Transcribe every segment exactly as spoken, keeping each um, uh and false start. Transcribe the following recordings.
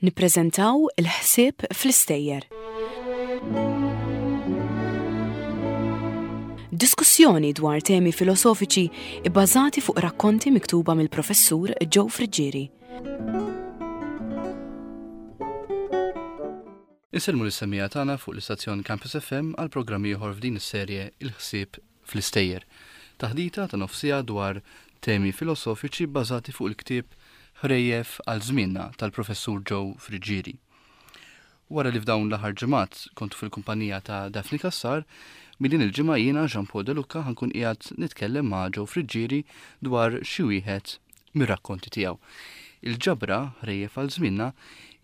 Nippreżentaw il-ħsieb fl-istejjer. Diskussjoni dwar temi filosofiċi ibbażati fuq rakkonti miktuba mill-professur Joe Friggieri. Insellmu lis-semmiegħa tagħna fuq l-istazzjon Campus F M għal programm ieħor f'din is-serje Il-ħsieb fl-istejjer. Taħdita ta' nofsija dwar temi filosofiċi bbażati fuq il-ktieb Ħrejjef għal żmienna tal-professur Joe Friggieri. Wara li f'dawn l-aħħar ġimgħat kontu fil-kumpanija ta' Daphne Cassar, minn din il-ġimgħa jiena Jean Paul De Luca ħankun qiegħed nitkellem ma' Joe Friggieri dwar xi wieħed mir-rakkonti tiegħu. Il-ġabra Ħrejjef għal żmienna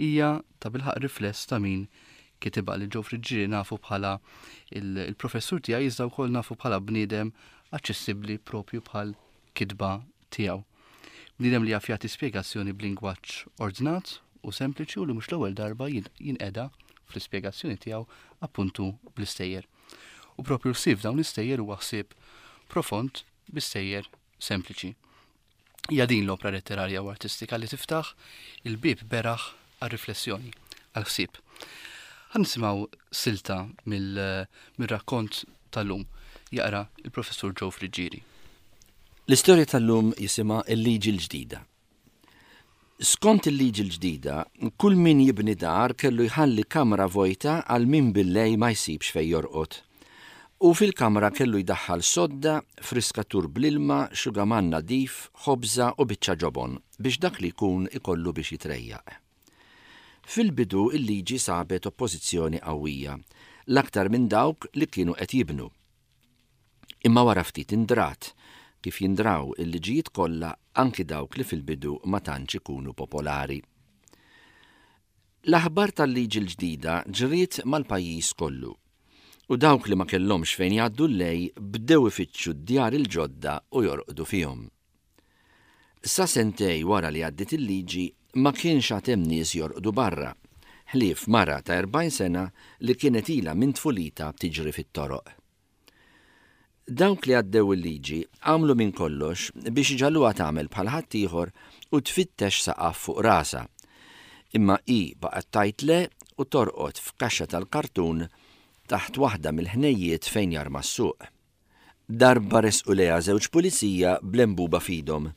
hija ta' bilħaq rifless ta' min kitibha li Joe Friggieri nafu bħala il-, il-professur tiegħi, iżda wkoll nafu bħala bniedem aċċessibbli propju bħal kitba tiegħu. Bniedem li jaf jagħti spjegazzjoni b'lingwaġġ ordnat u sempliċi u li mhux l-ewwel darba jin-, jinqeda fl-ispjegazzjoni tiegħu appuntu bl-istejjer. U propju l-ħsieb f'dawn l-istejjer huwa ħsieb profond b'istejjer sempliċi. Hija din l-opra letterarja u artistika li tiftaħ il-bieb beraħ għar-riflessjoni, għall-ħsieb. Ħa nisimgħu silta mill-, mir-rakkont tal-lum jaqra il-professur Joe Friggieri. L-istorja tal-lum jisimha Il-Liġi l-Ġdida. Skont il-liġi l-ġdida, kull min jibni dar kellu jħalli kamra vojta għal min billej ma jsibx fejn jorqod. U fil-kamra kellu jdaħħal sodda, friskatur bl-ilma, xugaman nadif, ħobża u biċċa ġobon biex dak li jkun ikollu biex jitrejjaq. Fil-bidu il-liġi sabet oppożizzjoni qawwija, l-aktar minn dawk li kienu qed jibnu. Imma wara ftit indrat, kif jindraw il-liġijiet kollha anki dawk li fil-bidu ma tantx ikunu popolari. L-aħbar tal-liġi l-ġdida ġriet mal-pajjiż kollu, u dawk li ma kellhomx fejn jgħaddu l-lej bdew ifittxu d-djar il-ġodda u jorqdu fihom. Sa sentej wara li għaddiet il-liġi ma kienx għad hemm nies jorqdu barra, ħlief mara ta' erbgħin sena li kienet ilha minn tfulita tiġri fit-toroq. Dawk li għaddew il-liġi għamlu minn kollox biex iġalluha tagħmel bħal ħaddieħor u tfittex saqaf fuq rasha. Imma hi baqgħet tgħid le u torqod f'kaxxa tal-kartun taħt waħda mill-ħnejjiet fejn jarma s-suq. Darba resqu lejha żewġ pulizija bl-embuba f'idhom.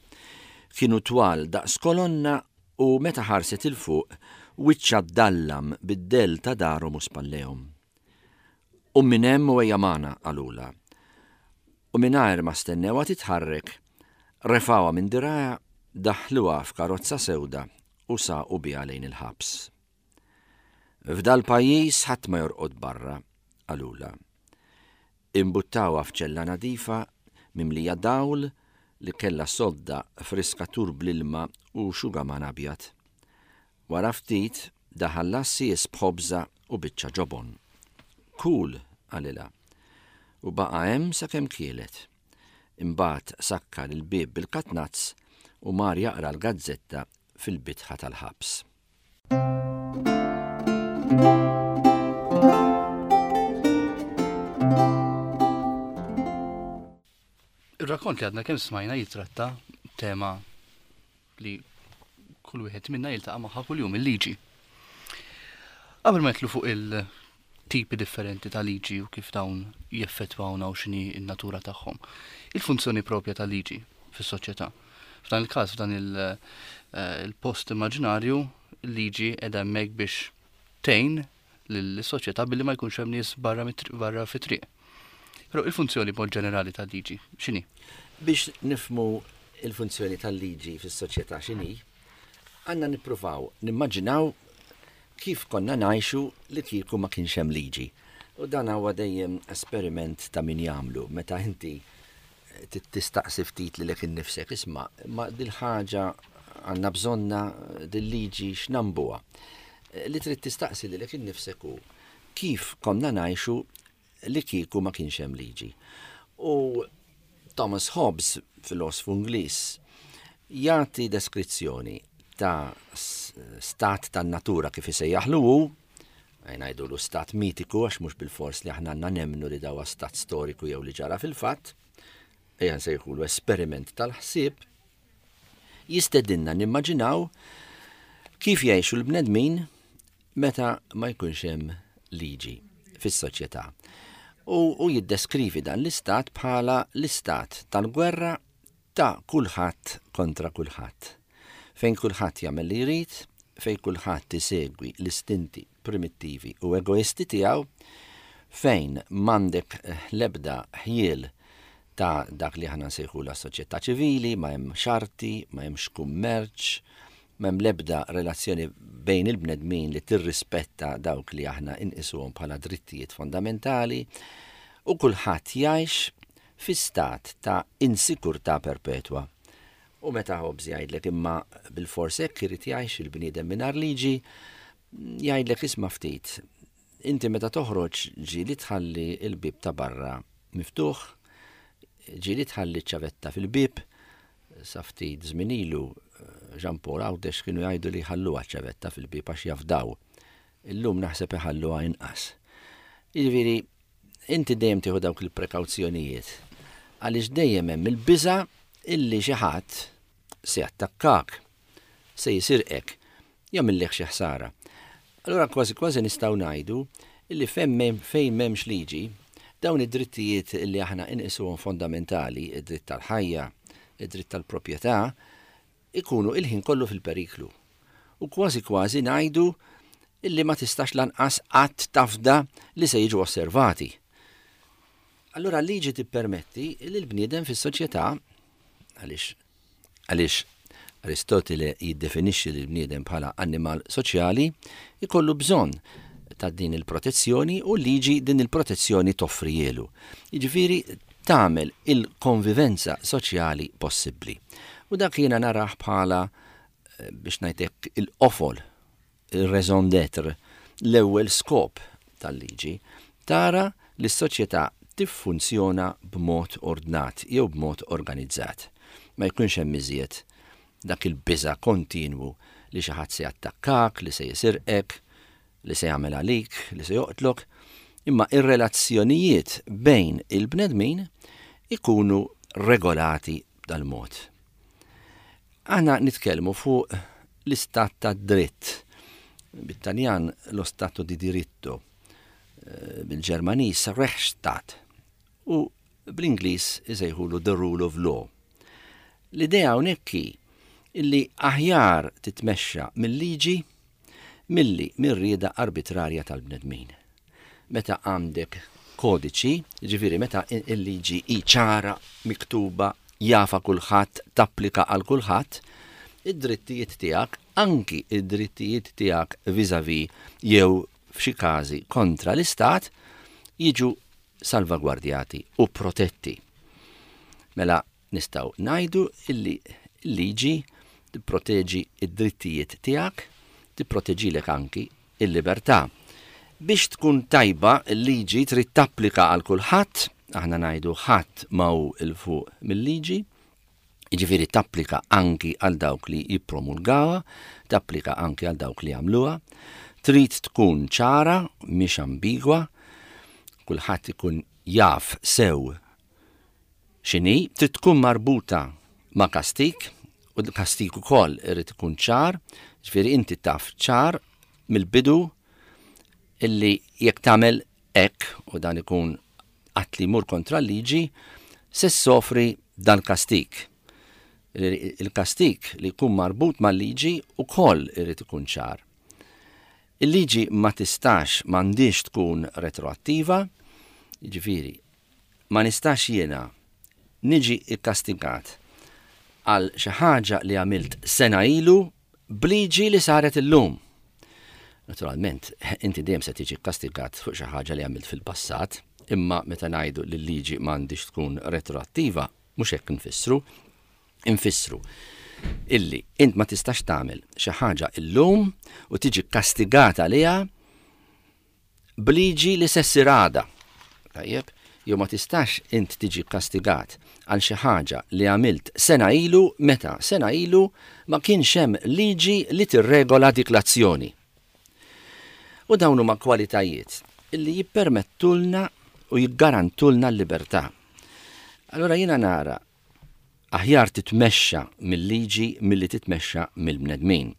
Kienu twal daqs kolonna u meta ħarset il fuq wiċċha ddallam bid-dell ta' darhom u spallejhom. U minn hemm u ejja magħna, qalulha. U mingħajr ma stennewha titħarrek, refawha minn dirgħajha, daħluha f'karozza sewda u saqu biha lejn il-ħabs. F'dal pajjiż ħadd ma jorqod barra, qalulha. Imbuttawha f'ċella nadifa mimlija dawl li kellha sodda friskatur bl-ilma u xugaman abjad. Wara ftit daħal l-għassies b'ħobża u biċċa ġobon. Kul, qalilha, u baqa' hemm sakemm kielet. Imbagħad sakkar il-bieb bil-katnazz u mar jaqra l-gazzetta fil-bitħa tal-ħabs. Ir-rakkont li għadna kemm smajna jitratta tema li kull wieħed minna jiltaqa' magħha kuljum, il-liġi. Qabel ma nidħlu fuq il-tipi differenti ta' liġi u kif dawn jeffettwawna u x'inhi n-natura tagħhom, il-funzjoni propja ta' liġi fis-soċjetà. F'dan il-każ, f'dan il-, eh, il-post immaġinarju, il-liġi qiegħda hemmhekk biex tgħin lill-soċjetà billi ma jkunx hemm nies barra mit-triq, barra fit-triq. Però il-funzjoni b'mod ġenerali tal-liġi x'inhi? Biex nifhmu il-funzjoni tal-liġi fis-soċjetà x'inhi, għandna nippruvaw nimmaġinaw kif konna ngħixu li kieku ma kienx hemm liġi. U dan huwa dejjem esperiment ta' min jagħmlu meta inti ti-, tistaqsi ftit lilek innifsek, isma', ma dil-ħaġa għandna bżonna dil-liġi x'nambuha. Li trid tistaqsi lilek innifsek hu kif konna ngħixu li kieku ma kienx hemm liġi. U Thomas Hobbes, filosfu Ingliż, jagħti deskrizzjoni ta' s-, stat tan-natura kif isejjaħlu hu, ngħidulu stat mitiku għax mhux bil-fors li aħna għandna nemmnu li dawa stat storiku jew li ġara fil-fatt, ejja nsejħulu esperiment tal-ħsieb, jistedinna nimmaġinaw Kif jgħixu l-bnedmin meta ma jkunx hemm liġi fis-soċjetà. U, u jiddeskrivi dan l-istat bħala l-istat tal-gwerra ta' kulħadd kontra kulħadd. Fejn kulħadd jagħmel li jrid, fejn kulħadd isegwi l-istinti primittivi u egoisti tiegħu, fejn m'għandek l-ebda ħjiel ta' dak li aħna nsejħu la soċjetà ċivili, ma hemm xarti, ma hemmx kummerċ, m'hemm l-ebda relazzjoni bejn il-bnedmin li tirrispetta dawk li aħna inqisuhom bħala drittijiet fondamentali, u kulħadd jgħix fi stat ta' insikurtà perpetwa. U meta Hobbes jgħidlek imma bil-fors hekk irid jgħix il-bniedem mingħajr liġi, jgħidlek isma' ftit. Inti meta toħroġ ġieli tħalli l-bieb ta' barra miftuħ, ġieli tħalli ċ-ċavetta fil-bieb, sa ftit żmien ilu Jean Paul Għawdex kienu jgħidu li ħalluha ċ-ċavetta fil-bieb għax jafdaw. Illum naħseb iħalluha inqas. Jiġifieri, inti dejjem tieħu dawk il-prekawzjonijiet għaliex dejjem hemm il-biża' illi xi ħadd se jattakkak, se jisirqek, jagħmillek xi ħsara. Allura kważi kważi nistgħu ngħidu illi fejn m'hemmx liġi, dawn id-drittijiet illi aħna inqisuhom fondamentali, id-dritt tal-ħajja, id-dritt tal-proprjetà, ikunu il-ħin kollu fil-periklu. U kważi kważi ngħidu illi ma tistax lanqas qatt tafda li se jiġu osservati. Allura l-liġi tippermetti li l-bniedem fis-soċjetà, għaliex għaliex Aristotele jiddefinixxi lil bniedem bħala annimal soċjali, ikollu bżonn ta' din il-protezzjoni u l-liġi din il-protezzjoni toffrijielu. Jiġifieri tagħmel il-konvivenza soċjali possibbli. U dak jiena narah bħala, biex ngħidlek, il-qofol, il-raison d'être, l-ewwel skop tal-liġi, tara li s-soċjetà tiffunzjona b'mod ordnat jew b'mod organizzat. Ma jkunx hemm iżjed dak il-biża' kontinwu li xi ħadd se jattakkak, li se jisirqek, li se jagħmel għalik, li se joqtlok, imma ir-relazzjonijiet bejn il-bnedmin ikunu regolati b'dal-mod. Aħna nitkellmu fuq l-istat ta' dritt, bit-Taljan lo stato di diritto, bil-Ġermaniż Rechtsstaat, u bl-Ingliż isejħulu the rule of law. L-idea hawnhekk hi illi aħjar titmexxa mill-liġi milli mir-rieda arbitrarja tal-bnedmin. Meta għandek kodiċi, ġifieri meta il-liġi hi ċara, miktuba, jafa kulħadd, tapplika għal kulħadd, id-drittijiet tiegħek, anki id-drittijiet tiegħek vis-à-vis jew f'xi każi kontra l-istat, jiġu salvagwardjati u protetti. Mela nistgħu ngħidu illi l-liġi tipproteġi id-drittijiet tiegħek, tipproteġilek anki il-libertà. Biex tkun tajba l-liġi trid tapplika għal kulħadd, aħna ngħidu ħadd ma hu 'l fuq mill-liġi, jiġifieri tapplika anki għal dawk li jippromulgawha, tapplika anki għal dawk li jagħmluha, trid tkun ċara, mhix ambigwa, kulħadd ikun jaf sew x'inhi, trid tkun marbuta ma' kastik, u l-kastik ukoll irid ikun ċar, ġifieri inti taf ċar mill-bidu illi jekk tagħmel hekk, u dan ikun att li jmur kontra l-liġi, se ssofri dan kastik. Il-kastik li jkun marbut mal-liġi ukoll irid ikun ċar. Il-liġi ma tistax, m'għandix tkun retroattiva, jiġifieri ma nistax jiena niġi ikkastigat għal xi ħaġa li għamilt sena ilu b'liġi li saret illum. Naturalment, inti dejjem se tiġi kkastigat fuq xi ħaġa li għamilt fil-passat, imma meta ngħidu li l-liġi m'għandix tkun retroattiva, mhux hekk nfissru, infissru illi int ma tistax tagħmel xi ħaġa illum u tiġi kkastigata għaliha b'liġi li se ssir għada. Tajjeb, jew ma tistax int tiġi kkastigat għal xi ħaġa li għamilt sena ilu meta sena ilu ma kienx hemm liġi li tirregola dik l-azzjoni. U dawn huma kwalitajiet illi jippermettulna u jiggarantulna l-libertà. Allura jiena nara aħjar titmexxa mill-liġi milli titmexxa mill-bnedmin.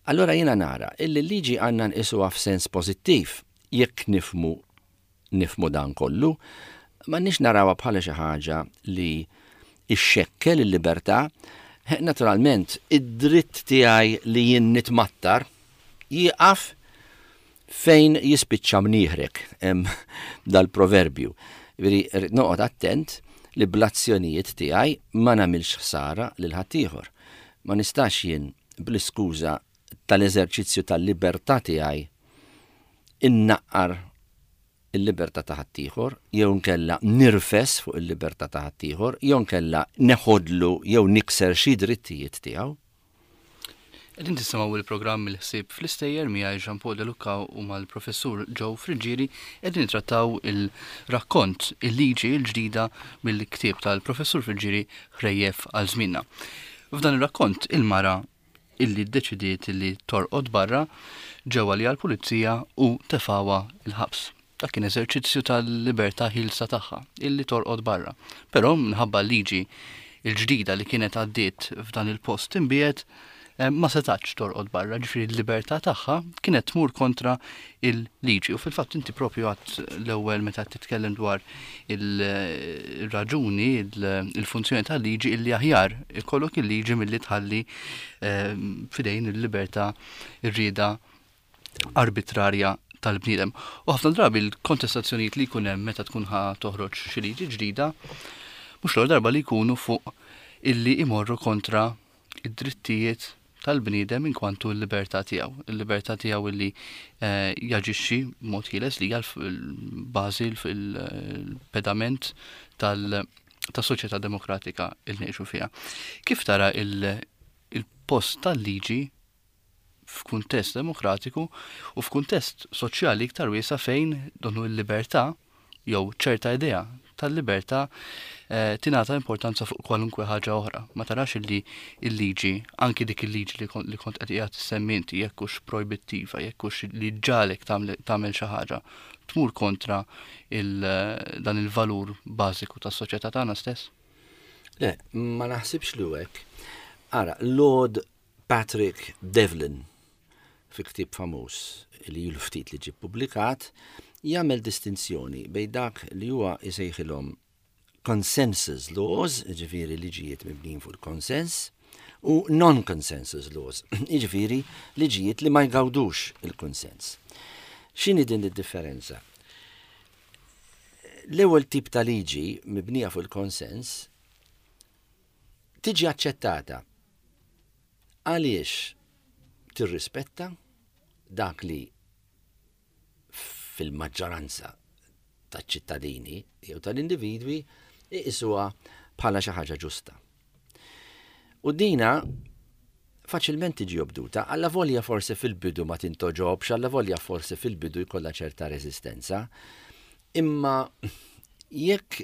Allora jiena nara illi l-liġi għandna nqisuha f'sens pożittiv jekk nifhmu nifhmu dan kollu, m'għandniex narawha bħala xi ħaġa li ixxekkel il-libertà. Naturalment, id-dritt tiegħi li jien nitmattar jieqaf fejn jispiċċa mnieħrek, hemm dal-proverbju. Veri, noqgħod attent li bl-azzjonijiet tiegħi ma nagħmilx ħsara lil ħaddieħor. Ma nistax jien bl-iskuża tal-eżerċizzju tal-libertà tiegħi innaqqar il-libertà ta' ħaddieħor, jew nkella nirfes fuq il-libertà ta' ħaddieħor, jew nkella neħodlu jew nikser xi drittijiet tiegħu. Qegħdin tisimgħu il-programm Il-Ħsieb fl-Istejjer miegħi Jean Paul De Luca u mal-Professur Joe Friggieri. Qegħdin nittrattaw il-rakkont Il-Liġi l-Ġdida mill-ktieb tal-Professur Friggieri Ħrejjef għal Żmienna. F'dan ir-rakkont, il-mara illi ddeċidiet illi torqod barra ġew għaliha l-pulizija u tefgħuha il-ħabs. Dak kien eżerċizzju tal-libertà ħielsa tagħha illi torqod barra. Però minħabba l-liġi il-ġdida li kienet għaddiet f'dan il-post imbiegħed, eh, ma setax torqod barra, ġifieri l-libertà tagħha kienet tmur kontra il-liġi. U fil-fatt inti propju għedt l-ewwel meta titkellem dwar il-raġuni, il-funzjoni tal-liġi, illi aħjar ikollok il-liġi milli tħalli eh, f'idejn il-libertà, ir-rieda arbitrarja tal-bniedem. U ħafna drabi l-kontestazzjonijiet li jkun hemm meta tkun ħa toħroġ xi liġi ġdida, mhux l darba li jkunu fuq illi imorru kontra id-drittijiet tal-bniedem in kwantu l-libertà tiegħu. Il-libertà tiegħu illi eh, jaġixxi mod ħieles, li hija l-bażi, il-pedament tal-soċjetà demokratika il ngħixu fiha. Kif tara il-post tal-liġi f'kuntest demokratiku u f'kuntest soċjali iktar wiesa', fejn donnu l-libertà jew ċerta idea tal-libertà eh, tingħata importanza fuq kwalunkwe ħaġa oħra? Ma tarax illi il-liġi, anki dik il-liġi li kont li kont qed qiegħed tissemmi inti, jekk hux projbittiva, jekk hux li ġġagħlek tagħmel xi ħaġa, tmur kontra il, dan il-valur bażiku tas-soċjetà tagħna stess? Le, ma naħsibx li hekk. Ara, Lord Patrick Devlin, fi ktieb famuż li ilu ftit li ġie publikat, jagħmel distinzjoni bejn dak li huwa jsejħilhom consensus laws, ġifieri liġijiet mibnin fuq il-konsens, u non-consensus laws, ġifieri liġijiet li ma jgawdux il-konsens. X'inhi din id-differenza? L-ewwel tip ta' liġi mibnija fuq il-konsens tiġi aċċettata għaliex tirrispetta dak li fil-maġġoranza taċ-ċittadini jew tal-individwi iqisuha bħala xi ħaġa ġusta. U dina faċilment tiġi obduta, alla volja forsi fil-bidu ma tintogħġobx, alla volja forsi fil-bidu jkollha ċerta reżistenza, imma jekk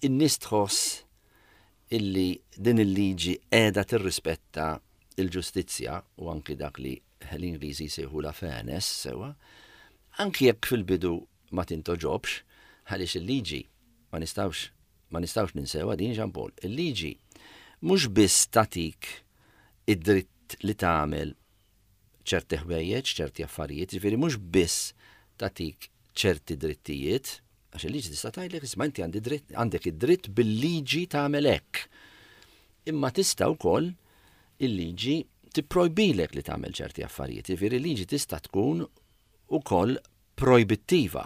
in-nies tħoss illi din il-liġi qiegħda tirrispetta il-ġustizzja u anki dak li l-Ingliżi jsejħu la fairness sewwa, anki jekk fil-bidu ma tintogħġobx, għaliex il-liġi ma nistgħux ma nistgħux ninsewha din, Jean Paul, il-liġi mhux biss tatik id-dritt li tagħmel ċerti ħwejjeġ, ċerti affarijiet, ġifieri mhux biss tatik ċerti drittijiet, għax il-liġi tista' tgħidlek: "Isma', inti għandek id-dritt bil-liġi tagħmel hekk." Imma tista' wkoll il-liġi tipprojbilek li tagħmel ċerti affarijiet. Ġifieri il-liġi tista' tkun ukoll projbittiva.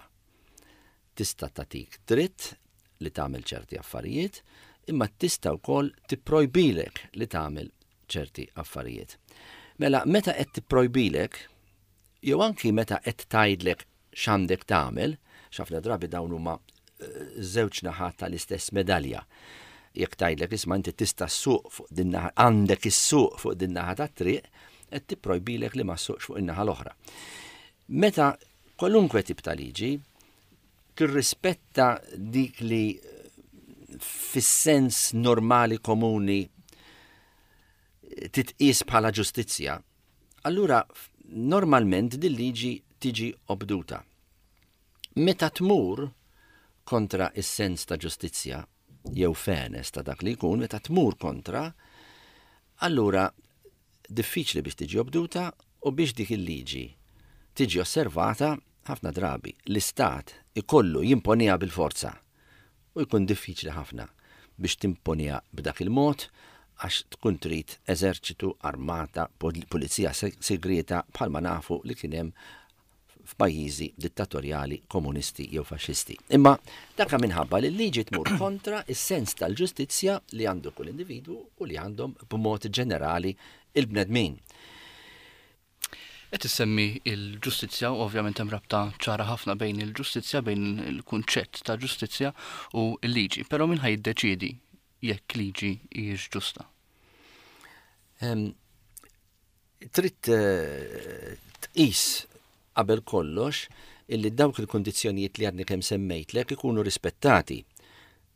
Tista' tatik dritt li tagħmel ċerti affarijiet, imma tista' wkoll tipprojbilek li tagħmel ċerti affarijiet. Mela, meta qed tipprojbilek, jew anki meta qed tgħidlek x'għandek tagħmel, ħafna drabi dawn huma eh, żewġ naħat tal-istess medalja. Jekk tgħidlek: "Isma', inti tista' ssuq fuq din naħa, għandek issuq fuq din naħa tat-triq", qed tipprojbilek li ma ssuqx fuq in-naħa l-oħra. Meta kwalunkwe tip ta' liġi tirrispetta dik li fis-sens normali komuni titqis bħala ġustizzja, allura normalment din liġi tiġi obduta. Meta tmur kontra is-sens ta' ġustizzja jew fairness ta' dak li jkun, meta tmur kontra, allura diffiċli biex tiġi obduta. U biex dik il-liġi tiġi osservata, ħafna drabi l-istat ikollu jimponiha bil-forza u jkun diffiċli ħafna biex timponiha b'dak il-mod għax tkun trid eżerċitu, armata, pulizija segreta bħalma nafu li kien hemm f'pajjiżi dittatorjali, komunisti jew faxxisti. Imma dak minħabba li l-liġi tmur kontra is-sens tal-ġustizzja li għandu kull individwu u li għandhom b'mod ġenerali il-bnedmin. Qed issemmi il-ġustizzja, u ovvjament hemm rabta ċara ħafna bejn il-ġustizzja, bejn il-kunċett ta' ġustizzja u l-liġi. Però min ħa jiddeċiedi jekk liġi hijiex ġusta? Trid tqis qabel kollox illi dawk il-kondizzjonijiet li għadni kemm semmejtlek ikunu rispettati.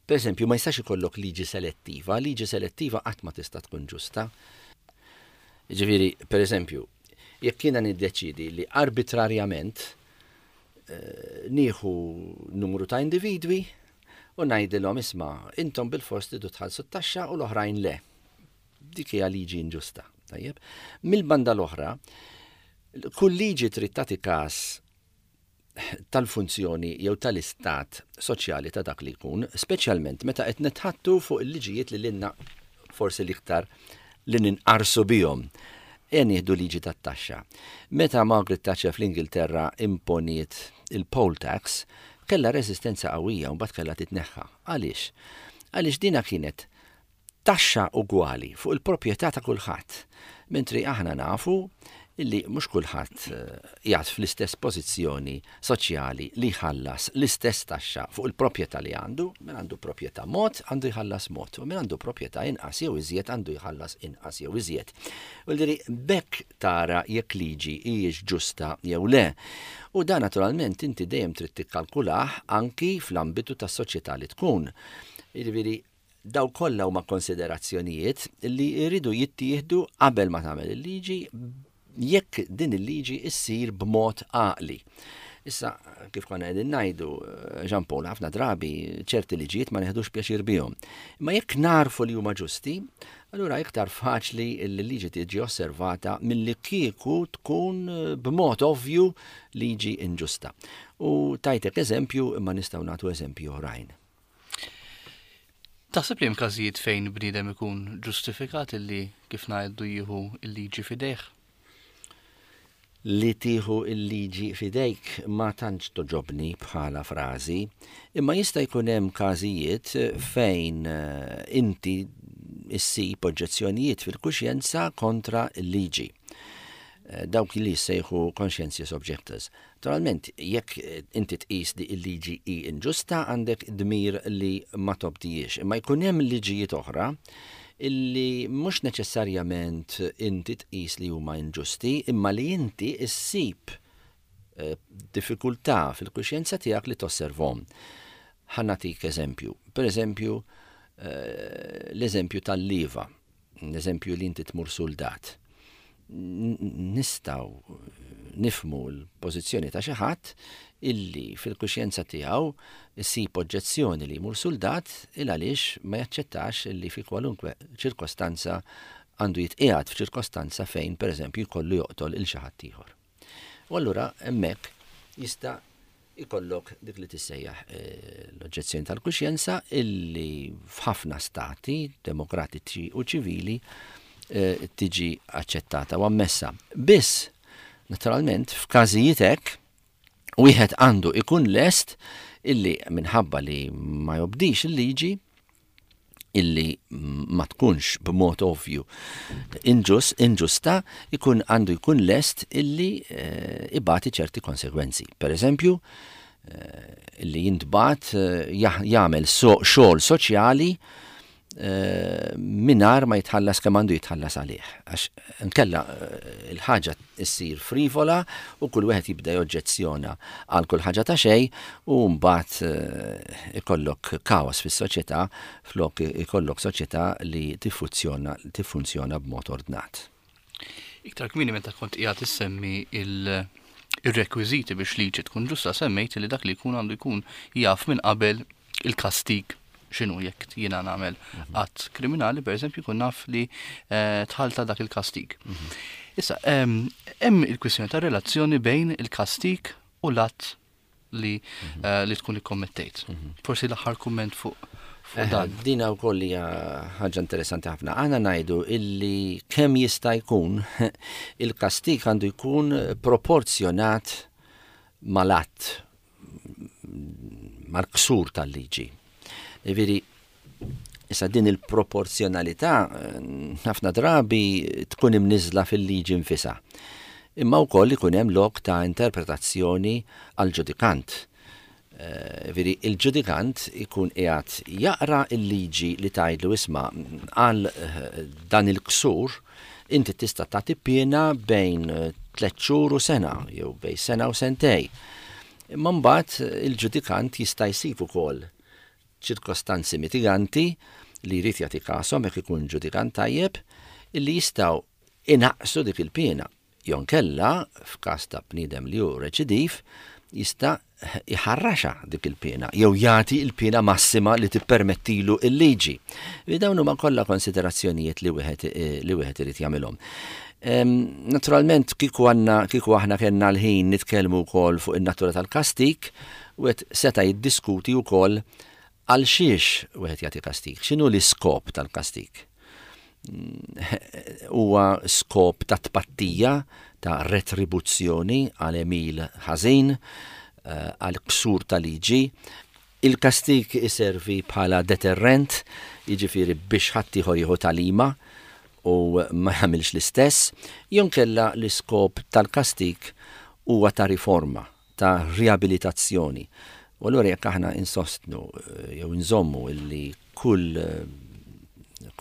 Per eżempju, ma jistax ikollok liġi selettiva, liġi selettiva qatt ma tista' tkun ġusta. Ġifieri, per eżempju, jekk jiena niddeċidi li arbitrarjament eh, nieħu numru ta' individwi u ngħidilhom isma' intom bil-fors tridu tħallsu t-taxxa u l-oħrajn le. Dik hija liġi inġusta. Tajjeb. Mill-banda l-oħra, kull liġi trid tagħti każ tal-funzjoni jew tal-istat soċjali ta' dak li jkun, speċjalment meta qed nitħattu fuq il-liġijiet li lilna forsi l-iktar li ninqarsu bihom. E nieħdu liġi tat-taxxa. Meta Margaret Thatcher fl-Ingilterra imponiet il-poll tax, kellha reżistenza qawwija u mbagħad kellha titneħħa. Għaliex? Għaliex dina kienet taxxa ugwali fuq il-proprjetà ta' kulħadd. Mentri aħna nafu illi mhux kulħadd qiegħed fl-istess pożizzjoni soċjali li jħallas l-istess taxxa fuq il-proprjetà li għandu, min għandu proprjetà mod għandu jħallas mod, u min għandu proprjetà inqas jew iżjed għandu jħallas inqas jew iżjed. U li bekk tara jekk liġi hijiex ġusta jew le. U dan naturalment inti dejjem trid tikkalkulah anki fl-ambitu tas-soċjetà li tkun. Jiġifieri daw kollha huma konsiderazzjonijiet li jridu jittieħdu qabel ma tagħmel il-liġi jekk din il-liġi issir b'mod għaqli. Issa, kif konna qegħdin ngħidu, Jean Paul, ħafna drabi ċerti liġijiet ma neħdux pjaċir bihom. Imma jekk narfu li huma ġusti, allura iktar faċli li l-liġi tiġi osservata milli kieku tkun b'mod ovvju liġi inġusta. U tajtek eżempju, imma nistgħu nagħtu eżempju oħrajn. Taħseb li hemm każijiet fejn bniedem ikun ġustifikat illi kif ngħidu jieħu l-liġi f'idejh? Li tieħu l-liġi f'idejk ma tantx toġobni bħala frażi, imma jista' jkun hemm każijiet fejn inti issib oġġezzjonijiet fil-kuxjenza kontra l-liġi. Dawk li jissejħu conscientious objectors. Naturalment, jekk inti tqis li l-liġi hi inġusta, għandek dmir li ma tobdijiex. Imma jkun hemm liġijiet oħra illi mhux neċessarjament inti tqis li huma inġusti, imma li inti issib diffikultà fil-kuxjenza tiegħek li tosservhom. Ħa nagħtik eżempju. Per eżempju, l-eżempju tal-liva, l-eżempju li inti tmur soldat. Nistgħu nifmu l-pożizzjoni ta' xi ħadd illi fil-kuxjenza tiegħu issib oġġezzjoni li jmur soldat il għaliex ma jaċċettax illi fi kwalunkwe ċirkostanza għandu jitqiegħed f'ċirkostanza fejn pereżempju jkollu joqtol il xi ħadd ieħor. U allura hemmhekk jista' ikollok dik li tissejjaħ l-oġġezzjoni tal-kuxjenza illi f'ħafna stati demokratiċi u ċivili tiġi aċċettata u ammessa. Biss, naturalment, f'każijiet hekk, wieħed għandu ikun lest illi minħabba li ma jobdix il-liġi, illi ma tkunx b'mod ovvju inġus, inġusta, ikun għandu jkun lest illi ibati ċerti konsegwenzi. Per eżempju, illi jintbat jagħmel xogħol soċjali minar ma jitħallas kemm għandu jitħallas għalih. Għax nkella il-ħaġa issir frivola u kull wieħed jibda joġġezzjona għal kull ħaġa ta' xejn u mbagħad ikollok kaos fis-soċjetà flok ikollok soċjetà li tiffunzjona, tiffunzjona b'mod ordnat. Iktar kmieni meta kont qiegħed issemmi il- ir-rekwiżiti biex liġi tkun ġusta, semmejt li dak li jkun għandu jkun jaf minn qabel il-kastig x'inhu jekk jiena nagħmel att kriminali, per eżempju, jkun naf li tħalta dak il-kastig. Issa, hemm il-kwistjoni ta' relazzjoni bejn il-kastik u l-att li, mm -hmm. li tkun ikkommettejt. Mm -hmm. Forsi l-aħħar kumment fuq fuq dan. Dina wkoll hija ħaġa interessanti ħafna. Aħna ngħidu illi kemm jista' jkun il-kastik għandu jkun proporzjonat mal-att, mal-ksur tal-liġi. Jiġifieri, issa din il-proporzjonalità ħafna drabi tkun imniżla fil-liġi nfisha. Imma wkoll ikun hemm lok ta' interpretazzjoni għal-ġudikant. Veri, il-ġudikant ikun qiegħed jaqra il-liġi li tgħidlu isma' għal dan il-ksur inti tista' tagħti piena bejn tliet xhur u sena jew bejn sena u sentej. Imma mbagħad il-ġudikant jista' jsib ukoll ċirkostanzi mitiganti li jrid jagħti kashom jekk ikun ġudikant tajjeb illi jistgħu inaqqsu dik il-piena. Jew inkella f'każ ta' bniedem li hu reċidiv jista' iħarraxa dik il-piena jew jagħti il-piena massima li tippermettilu il-liġi. Dawn huma kollha konsiderazzjonijiet li wieħed li wieħed irid jagħmilhom. Naturalment kieku għandna kieku aħna kellna l-ħin nitkellmu wkoll fuq in-natura tal-kastik, wieħed seta' jiddiskuti wkoll għal xiex wieħed jagħti kastik, x'inhu l-iskop tal-kastik. Huwa skop ta' tpattija, ta' retribuzzjoni għal għemil ħażin, għal ksur ta' liġi. Il-kastik iservi bħala deterrent, jiġifieri biex ħaddieħor jieħu tagħlima u ma jagħmilx l-istess, jew inkella l-iskop tal-kastik huwa ta' riforma, ta' riabilitazzjoni. U allura jekk aħna insostnu jew nżommu illi kull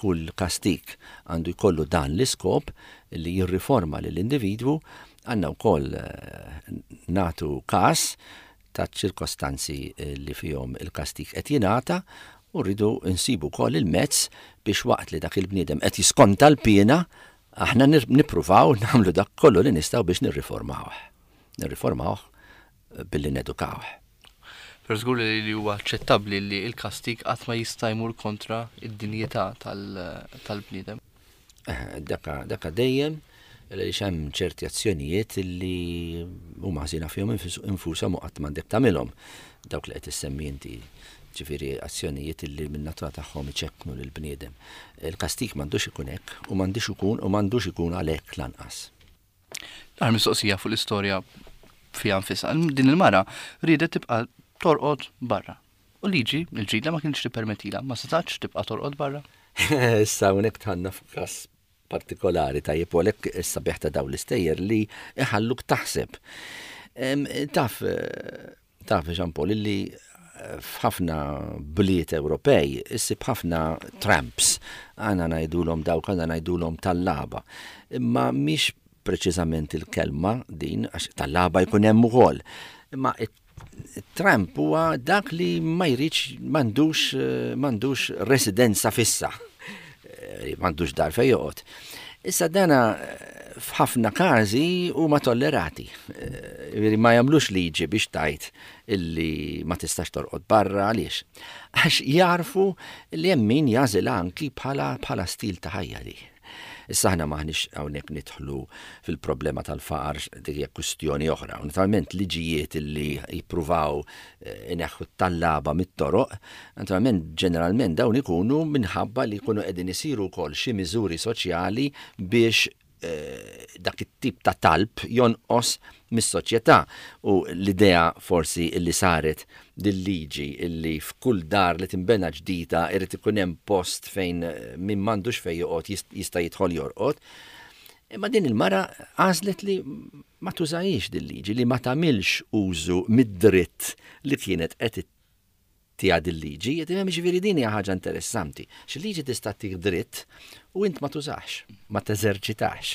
kull kastik għandu jkollu dan l-iskop li jirriforma lill-individwu, għandna wkoll nagħtu kas ta' ċirkostanzi li fihom il-kastik qed jingħata u rridu nsibu wkoll il-mezz biex waqt li dak il-bniedem qed jiskonta l-piena, aħna nippruvaw nagħmlu dak kollu li nistgħu biex nirriformawh. Nirriformawh billi nedukawh. Però żgur li huwa aċċettabbli li l-kastik qatt ma jista' jmur kontra id-dinjità tal-bniedem. Daka, daka dejjem għaliex hemm ċerti azzjonijiet li huma ħażina fihom infushom u qatt m'għandek tagħmilhom. Dawk li qed issemmi inti, ġifieri azzjonijiet li min-natura tagħhom iċekknu lill-bniedem. Il-kastik m'għandux ikun hekk u m'għandux ikun u m'għandux ikun għalhekk lanqas. L-aħħar mistoqsija fuq l-istorja fiha nfisha. Din il-mara riedet tibqa' torqod barra. U liġi, il-ġdida ma kienx tippermettila, ma setax tibqa' torqod barra. Issa hawnhekk dħalna f'każ partikolari tajjeb u għalhekk is-sabiħ ta' dawn l-istejjer li iħalluk taħseb. Taf, taf Jean Paul, illi f'ħafna bliet Ewropej issib ħafna tramps, għana ngħidulhom dawk, għana ngħidulhom tallaba. Imma mhix preċiżament il-kelma din, għax tallaba jkun hemm ukoll. Imma tramp huwa dak li ma jridx, m'għandux, m'għandux residenza fissa, m'għandux dar fejn joqgħod. Issa dana f'ħafna każi huma tollerati. Ma jagħmlux liġi biex tgħid illi ma tistax torqod barra, għaliex? Għax jarfu li hemm min jagħżilha anki bħala, bħala stil ta' ħajja li. Issa aħna maħniex hawnhekk nidħlu fil-problema tal-faqar, dik hija kwistjoni oħra. Naturalment liġijiet li jippruvaw ineħħu t-tallaba mit-toroq, naturalment ġeneralment dawn ikunu minħabba li jkunu qegħdin isiru wkoll xi miżuri soċjali biex dak it-tip ta' talb jonqos mis-soċjetà. U l-idea forsi li saret dil-liġi illi f'kull dar li tinbena ġdida irid ikun hemm post fejn min m'għandux fejn joqgħod jista' jidħol jorqod. Imma din il-mara għażlet li ma tużahiex dil-liġi, li ma tagħmilx użu mid-dritt li kienet qed tiha dil-liġi. Jiġifieri din hija ħaġa interessanti. Xi liġi tista' ttik dritt u int ma tużax, ma teżerċitax.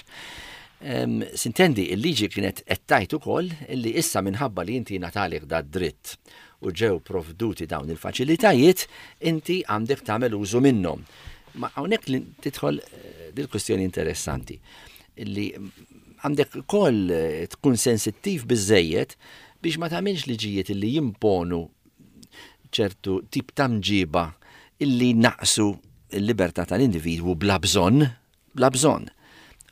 Sintendi, il-liġi kienet qed tgħid ukoll illi issa minħabba li inti ngħatalek da dritt u ġew provduti dawn il-faċilitajiet, inti għandek tagħmel użu minnhom. Ma hawnhekk li tidħol dil-kwestjoni interessanti illi għandek ukoll tkun sensittiv biżejjed biex ma tagħmilx liġijiet illi jimponu ċertu tip ta' mġiba illi naqsu l-libertà tal-individwu bla bżonn, bla bżonn.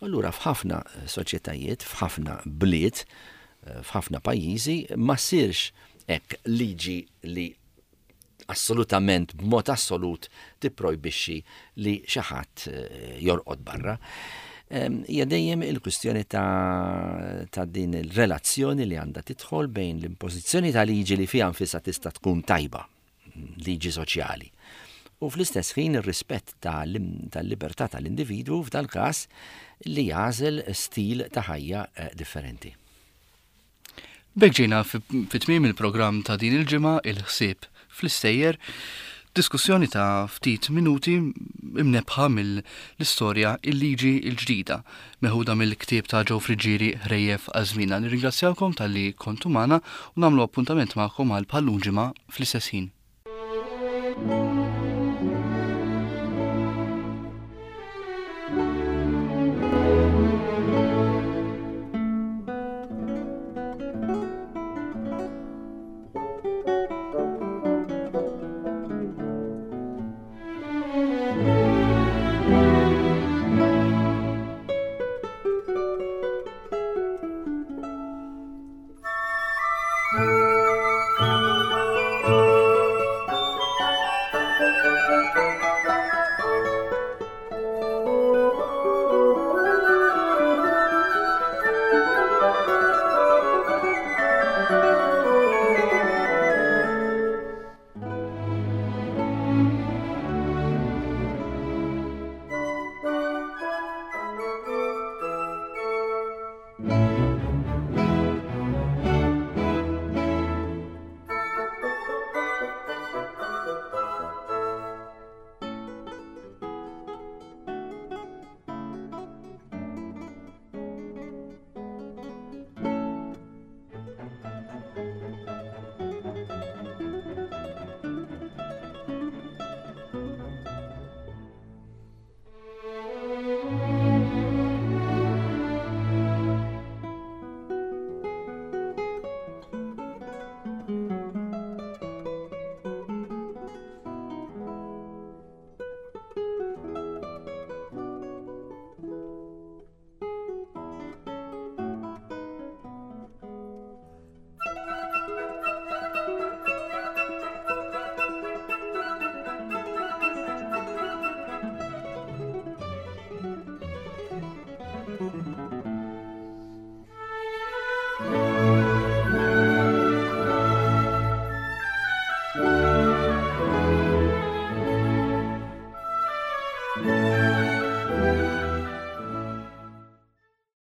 Allura f'ħafna soċjetajiet, f'ħafna bliet, f'ħafna pajjiżi ma ssirx hekk liġi li assolutament, b'mod assolut, tipprojbixxi li xi ħadd eh, jorqod barra. Hija dejjem il-kwistjoni ta', ta' din il-relazzjoni li għandha tidħol bejn l-impożizzjoni ta' liġi li fiha nfisha tista' tkun tajba, liġi soċjali. U fl-istess ħin ir-rispett tal-libertà tal-individwu, f'dal-każ li jagħżel stil ta' ħajja eh, differenti. B'hekk ġejna fi tmiem il-programm ta' din il-ġimgħa, Il-Ħsieb fl-Istejjer, diskussjoni ta' ftit minuti imnebbħa mill-istorja Il-Liġi l-Ġdida, meħuda mill-ktieb ta' Joe Friggieri Ħrejjef għal Żmienna. Nirringrazzjawkom talli kontu magħna u nagħmlu appuntament magħkom għal bħal-lum ġimgħa fl-istess ħin.